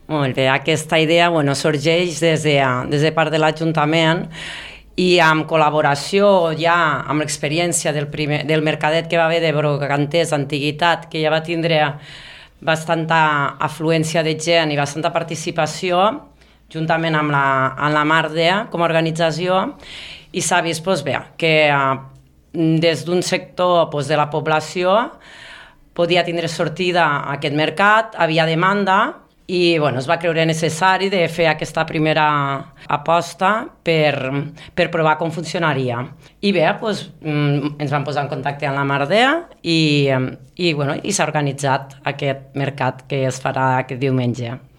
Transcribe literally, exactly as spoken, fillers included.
Molt bé, aquesta idea bueno, sorgeix des de, des de part de l'Ajuntament i amb col·laboració ja amb l'experiència del, primer, del mercadet que va haver de brocanters Antiguitat, que ja va tindre bastanta afluència de gent i bastanta participació, juntament amb la, amb la Mardea com a organització, i s'ha vist doncs, bé, que des d'un sector doncs, de la població podia tindre sortida a aquest mercat, havia demanda, i bueno, es va creure necessari de fer aquesta primera aposta per, per provar com funcionaria. I bé, doncs, ens vam posar en contacte amb la Mardea i, i, bueno, i s'ha organitzat aquest mercat que es farà aquest diumenge.